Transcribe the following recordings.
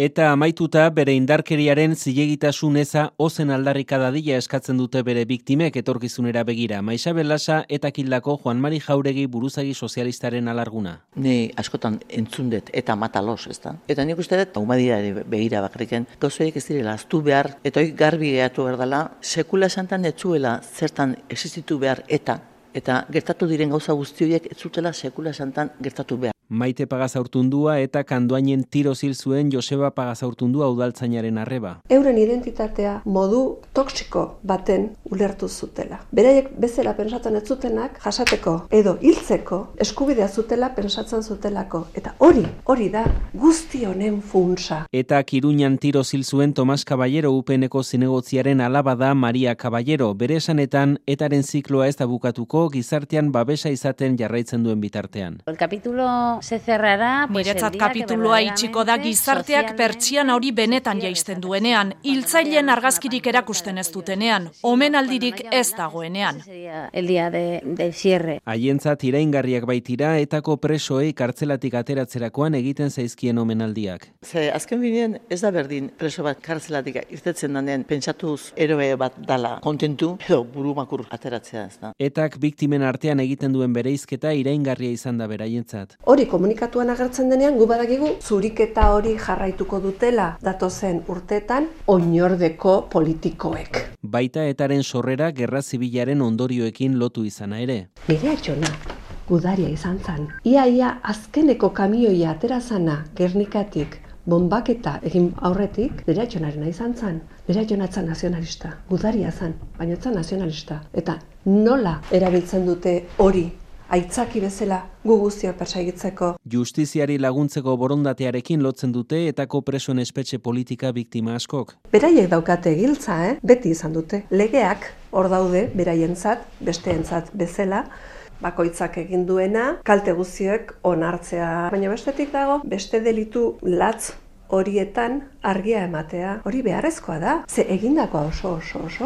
Eta amaituta bere indarkeriaren zilegitasun eza ozen aldarrika dadila eskatzen dute bere biktimek etorkizunera begira. Maixabel Lasa eta Kildako Juan Mari Jauregi buruzagi sozialistaren alarguna. Ni askotan entzundet eta matalos, ez da? Eta nik uste dut, humadiare begira bakriken, gauzoiek ez direla aztu behar, eta hori garbi gehatu behar dela, sekula esantan etzuela zertan existitu behar eta gertatu diren gauza guzti horiek ez zutela sekula esantan gertatu behar. Maite Pagazaurtundua eta Kandoainen tiro hil zuen Joseba Pagazaurtundua udaltzainaren arreba. Euren identitatea modu toxiko baten ulertu zutela. Beraiek bezala pentsatzen ez zutenak jasateko edo hiltzeko eskubidea zutela pentsatzen zutelako. Eta hori da guzti honen funtsa. Eta Iruñan tiro hil zuen Tomas Caballero UPNeko zinegotziaren alaba da Maria Caballero. Bere esanetan etaren zikloa ez da bukatuko gizartean babesa izaten jarraitzen duen bitartean. El capítulo se cerrará. Niretzat kapitulua itxiko da gizarteak pertsiana hori benetan jaisten duenean, hiltzaileen argazkirik erakusten ez dutenean, omenaldirik ez dagoenean. El día del cierre. Haientzat iraingarriak baitira etako presoei kartzelatik ateratzerakoan egiten zaizkien omenaldiak. Ze azken bidean ez da berdin preso bat kartzelatik irtetzen danen pentsatuz eroe bat dala kontentu edo burumakur ateratzea, ez da. Etak biktimen artean egiten duen bereizketa iraingarria izan da beraientzat. Hori komunikatuan agertzen denean gu badakigu zuriketa hori jarraituko dutela datozen urteetan oinordeko politikoek. Baita etaren sorrera gerra zibilaren ondorioekin lotu izana ere. Nire atxona, gudaria izan zan. Ia azkeneko kamioia aterazana Gernikatik bombaketa egin aurretik, nire atxonarena izan zan. Nire atxonatzen nazionalista, gudaria zan, baina etzan nazionalista. Eta nola erabiltzen dute hori aitzaki bezala gu guztiak persaigitzeko. Justiziari laguntzeko borondatearekin lotzen dute etako presoen espetxe politika biktima askok. Beraiek daukate giltza, beti izan dute. Legeak hor daude beraientzat, besteentzat bezala, bakoitzak egin duena, kalte guztiek onartzea. Baina bestetik dago, beste delitu latz horietan argia ematea, hori beharrezkoa da, ze egindakoa oso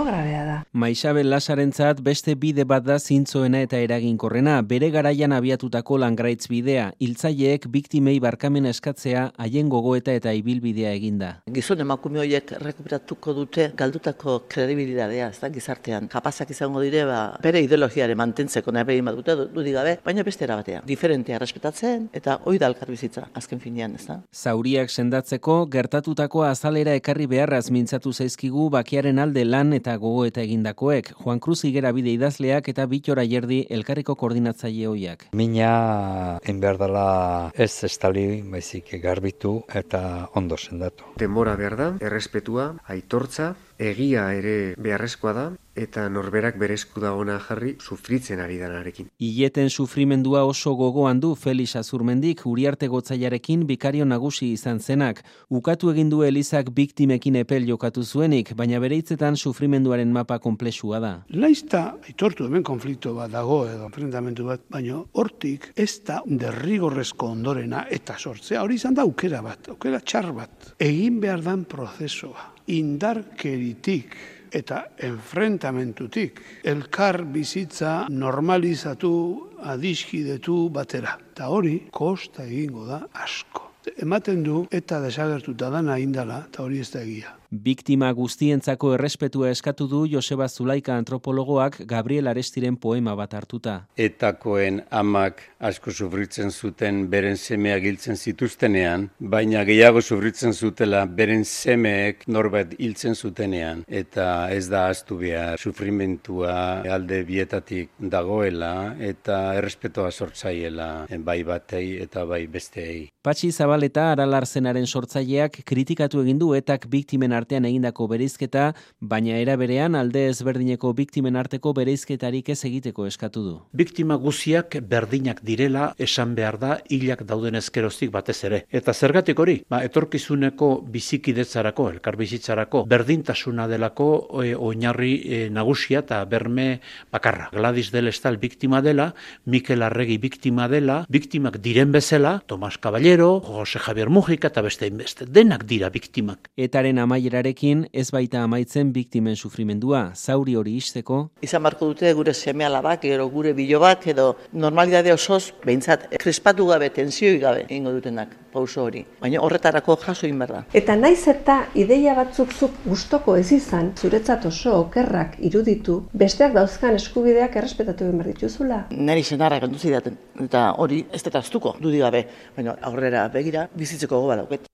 grabea da. Maixabel Lasarentzat beste bide bat da zintzoena eta eraginkorrena, bere garaian abiatutako langraitz bidea, hiltzaileek biktimei barkamena eskatzea haien gogoeta eta ibilbidea eginda. Gizon emakume horiek rekuperatuko dute galdutako kredibilitatea, ez da, gizartean. Kapazak izango dire, bere ideologiare mantentzeko nahi behin bat dute, dudik gabe, baina beste erabatea. Diferentea respetatzen eta hori da elkarbizitza, azken finean, ez da. Zauriak sendatzen gertatutako azalera ekarri beharraz mintzatu zaizkigu bakiaren alde lan eta gogoeta egindakoek. Juan Cruz Higuera bide idazleak eta Bittor Ayerdi elkarreko koordinatzaile hoiak. Mina enberdala ez estali, baizik garbitu eta ondo sendatu. Denbora behar da, errespetua, aitortza, egia ere beharrezkoa da, eta norberak berezku da ona jarri sufritzen ari danarekin. Ileten sufrimendua oso gogoan du Felix Azurmendik Uriarte Gotzaiarekin bikario nagusi izan zenak. Ukatu egin du Elizak biktimekin epel jokatu zuenik, baina bere hitzetan sufrimenduaren mapa konplexua da. Laizta aitortu hemen konflikto bat dago edo enfrentamendu bat, baina hortik ez da derrigorrezko ondorena eta sortzea. Hori izan da aukera txar bat. Egin behar dan prozesua. Indarkeritik eta enfrentamentutik elkar bizitza normalizatu, adiskidetu batera. Eta hori kosta egingo da asko. Ematen du eta desagertuta dana indala, eta hori ez da egia. Biktima guztientzako errespetua eskatu du Joseba Zulaika antropologoak Gabriel Arestiren poema bat hartuta. Etakoen amak asko sufritzen zuten beren semeak hiltzen zituztenean, baina gehiago sufritzen zutela beren semeek norbait hiltzen zutenean. Eta ez da ahaztu behar sufrimentua alde bietatik dagoela eta errespetua sortzaiela bai batei eta bai besteei. Patxi Zabaleta Aralarzenaren sortzaileak kritikatu egin du etak biktimen artean egindako bereizketa, baina era berean alde ezberdineko biktimen arteko bereizketarik ez egiteko eskatu du. Biktima guziak berdinak direla esan behar da hilak dauden ezkeroztik batez ere. Eta zergatik hori? Etorkizuneko bizikidetzarako, elkarbizitzarako, berdintasuna delako oinarri nagusia eta berme bakarra. Gladys del Estal biktima dela, Mikel Arregi biktima dela, biktimak diren bezala, Tomas Caballero, Jose Javier Mujica eta beste denak dira biktimak. Etaren amaia amaierarekin ez baita amaitzen biktimen sufrimendua, zauri hori ixteko. Izan barko dute gure seme-alabak, edo gure bilobak, edo normalidade osoz, behintzat, krespatu gabe, tensioi gabe, egingo dutenak, pauso hori. Baina horretarako jaso egin behar da. Eta naiz eta ideia batzuk zuk gustoko ez izan, zuretzat oso okerrak iruditu, besteak dauzkan eskubideak errespetatu egin behar dituzula. Neri senarrak entuzi daten, eta hori ez dut aztuko, dudik gabe, baina aurrera begira bizitzeko goba dauket.